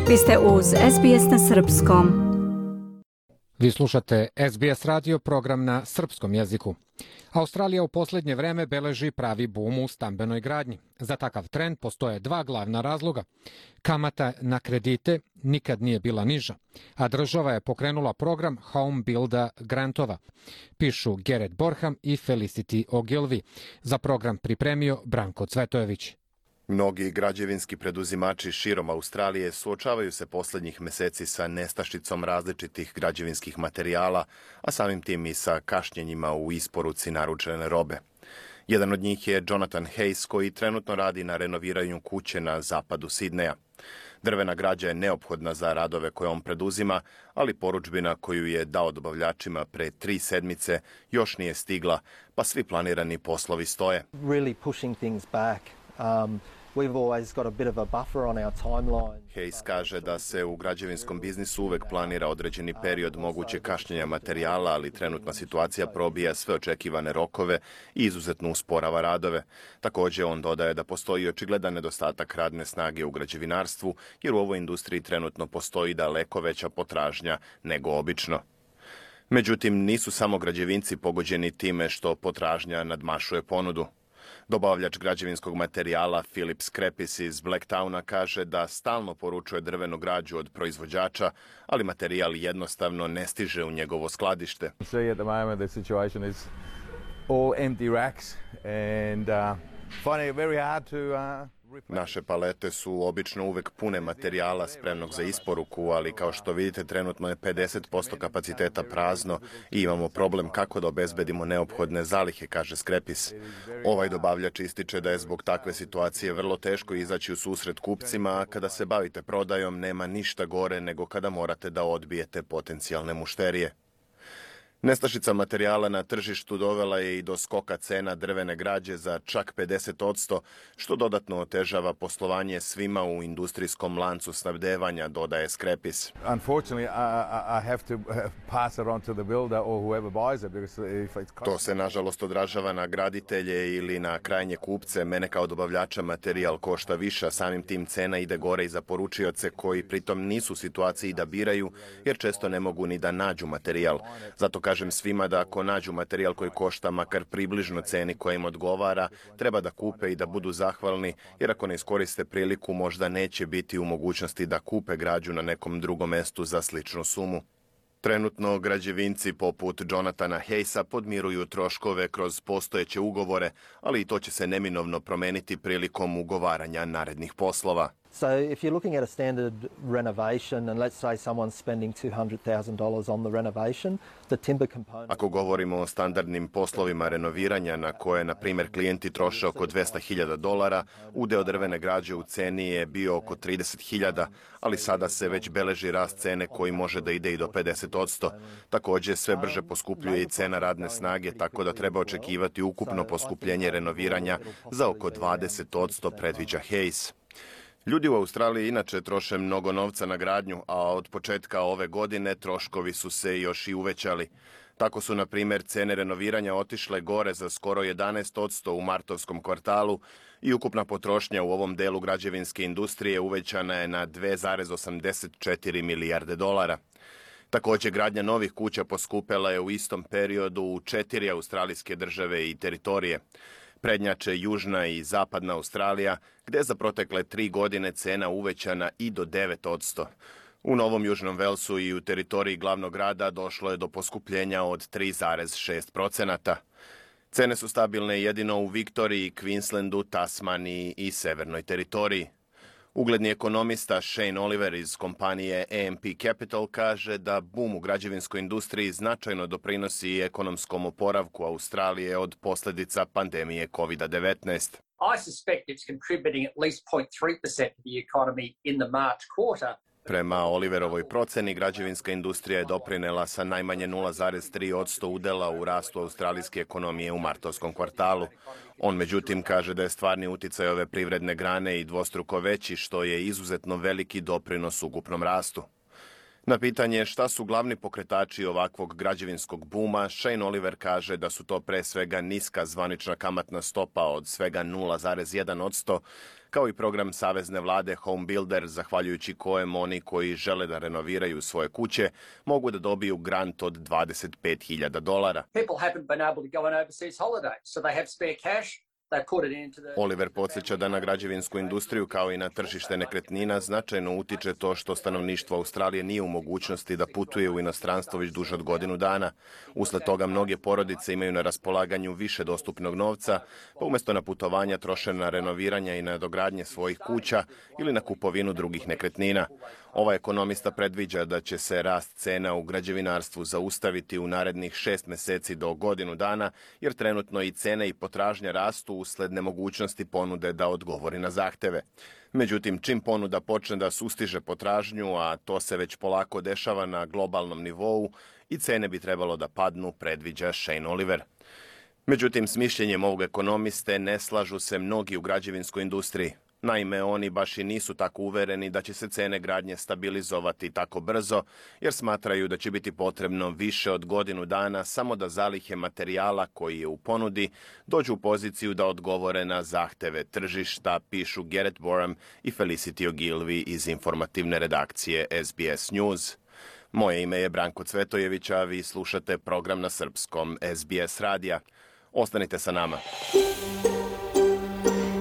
Vi ste uz SBS na srpskom. Vi slušate SBS radio, program na srpskom jeziku. Australija u posljednje vreme beleži pravi bum u stambenoj gradnji. Za takav trend postoje dva glavna razloga. Kamata na kredite nikad nije bila niža, a država je pokrenula program Home Builder grantova. Pišu Gerrit Borham i Felicity Ogilvy. Za program pripremio Branko Cvetojević. Mnogi građevinski preduzimači širom Australije suočavaju se posljednjih mjeseci sa nestašicom različitih građevinskih materijala, a samim tim i sa kašnjenjima u isporuci naručene robe. Jedan od njih je Jonathan Hayes, koji trenutno radi na renoviranju kuće na zapadu Sidneja. Drvena građa je neophodna za radove koje on preduzima, ali porudžbina koju je dao dobavljačima pre 3 sedmice još nije stigla, pa svi planirani poslovi stoje. Hayes kaže da se u građevinskom biznisu uvek planira određeni period mogućeg kašnjenja materijala, ali trenutna situacija probija sve očekivane rokove i izuzetno usporava radove. Također on dodaje da postoji očigledan nedostatak radne snage u građevinarstvu, jer u ovoj industriji trenutno postoji daleko veća potražnja nego obično. Međutim, nisu samo građevinci pogođeni time što potražnja nadmašuje ponudu. Dobavljač građevinskog materijala Philip Skrepis iz Blacktowna kaže da stalno poručuje drvenu građu od proizvođača, ali materijal jednostavno ne stiže u njegovo skladište. Naše palete su obično uvek pune materijala spremnog za isporuku, ali kao što vidite trenutno je 50% kapaciteta prazno i imamo problem kako da obezbedimo neophodne zalihe, kaže Skrepis. Ovaj dobavljač ističe da je zbog takve situacije vrlo teško izaći u susret kupcima, a kada se bavite prodajom nema ništa gore nego kada morate da odbijete potencijalne mušterije. Nestašica materijala na tržištu dovela je i do skoka cena drvene građe za čak 50%, što dodatno otežava poslovanje svima u industrijskom lancu snabdevanja, dodaje Skrepis. To se nažalost odražava na graditelje ili na krajnje kupce. Mene kao dobavljača materijal košta više, a samim tim cena ide gore i za poručioce koji pritom nisu u situaciji da biraju, jer često ne mogu ni da nađu materijal. Zato kažem svima da ako nađu materijal koji košta makar približno ceni koja im odgovara, treba da kupe i da budu zahvalni, jer ako ne iskoriste priliku možda neće biti u mogućnosti da kupe građu na nekom drugom mestu za sličnu sumu. Trenutno građevinci poput Jonathana Hayesa podmiruju troškove kroz postojeće ugovore, ali i to će se neminovno promeniti prilikom ugovaranja narednih poslova. So if you're looking at a standard renovation and let's say someone's spending $200,000 on the renovation, the timber component... Ako govorimo o standardnim poslovima renoviranja na koje, na primjer, klijenti troše oko $200,000, udeo drvene građe u ceni je bio oko 30.000, ali sada se već beleži rast cene koji može da ide i do 50%. Također sve brže poskupljuje i cena radne snage, tako da treba očekivati ukupno poskupljenje renoviranja za oko 20%, predviđa Hayes. Ljudi u Australiji inače troše mnogo novca na gradnju, a od početka ove godine troškovi su se još i uvećali. Tako su, na primjer, cene renoviranja otišle gore za skoro 11% u martovskom kvartalu i ukupna potrošnja u ovom delu građevinske industrije uvećana je na 2,84 milijarde dolara. Također, gradnja novih kuća poskupela je u istom periodu u 4 australijske države i teritorije. Prednjače Južna i Zapadna Australija, gdje je za protekle 3 godine cena uvećana i do 9%. U Novom Južnom Velsu i u teritoriji glavnog grada došlo je do poskupljenja od 3,6%. Cene su stabilne jedino u Viktoriji, Queenslandu, Tasmaniji i Severnoj teritoriji. Ugledni ekonomista Shane Oliver iz kompanije AMP Capital kaže da bum u građevinskoj industriji značajno doprinosi ekonomskom oporavku Australije od posljedica pandemije COVID-19. I suspect it's contributing at least 0.3% to the economy in the March quarter. Prema Oliverovoj proceni, građevinska industrija je doprinela sa najmanje 0,3% udela u rastu australijske ekonomije u martovskom kvartalu. On međutim kaže da je stvarni uticaj ove privredne grane i dvostruko veći, što je izuzetno veliki doprinos ukupnom rastu. Na pitanje šta su glavni pokretači ovakvog građevinskog buma, Shane Oliver kaže da su to pre svega niska zvanična kamatna stopa od svega 0,1%, kao i program savezne vlade Home Builder, zahvaljujući kojem oni koji žele da renoviraju svoje kuće mogu da dobiju grant od $25,000. People haven't been able to go on overseas holiday, so they have spare cash. Oliver podsjeća da na građevinsku industriju kao i na tržište nekretnina značajno utiče to što stanovništvo Australije nije u mogućnosti da putuje u inostranstvo već duže od godinu dana. Usled toga mnoge porodice imaju na raspolaganju više dostupnog novca, pa umjesto na putovanja troše na renoviranja i na dogradnje svojih kuća ili na kupovinu drugih nekretnina. Ovaj ekonomista predviđa da će se rast cena u građevinarstvu zaustaviti u narednih 6 meseci do godinu dana, jer trenutno i cene i potražnja rastu usled nemogućnosti ponude da odgovori na zahteve. Međutim, čim ponuda počne da sustiže potražnju, a to se već polako dešava na globalnom nivou, i cene bi trebalo da padnu, predviđa Shane Oliver. Međutim, s mišljenjem ovog ekonomiste ne slažu se mnogi u građevinskoj industriji. Naime, oni baš i nisu tako uvereni da će se cene gradnje stabilizovati tako brzo, jer smatraju da će biti potrebno više od godinu dana samo da zalihe materijala koji je u ponudi dođu u poziciju da odgovore na zahteve tržišta, pišu Garrett Boram i Felicity Ogilvy iz informativne redakcije SBS News. Moje ime je Branko Cvetojević, a vi slušate program na srpskom SBS radija. Ostanite sa nama.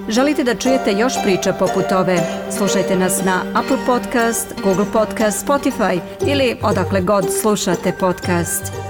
Želite da čujete još priča poput ove? Slušajte nas na Apple Podcast, Google Podcast, Spotify ili odakle god slušate podcast.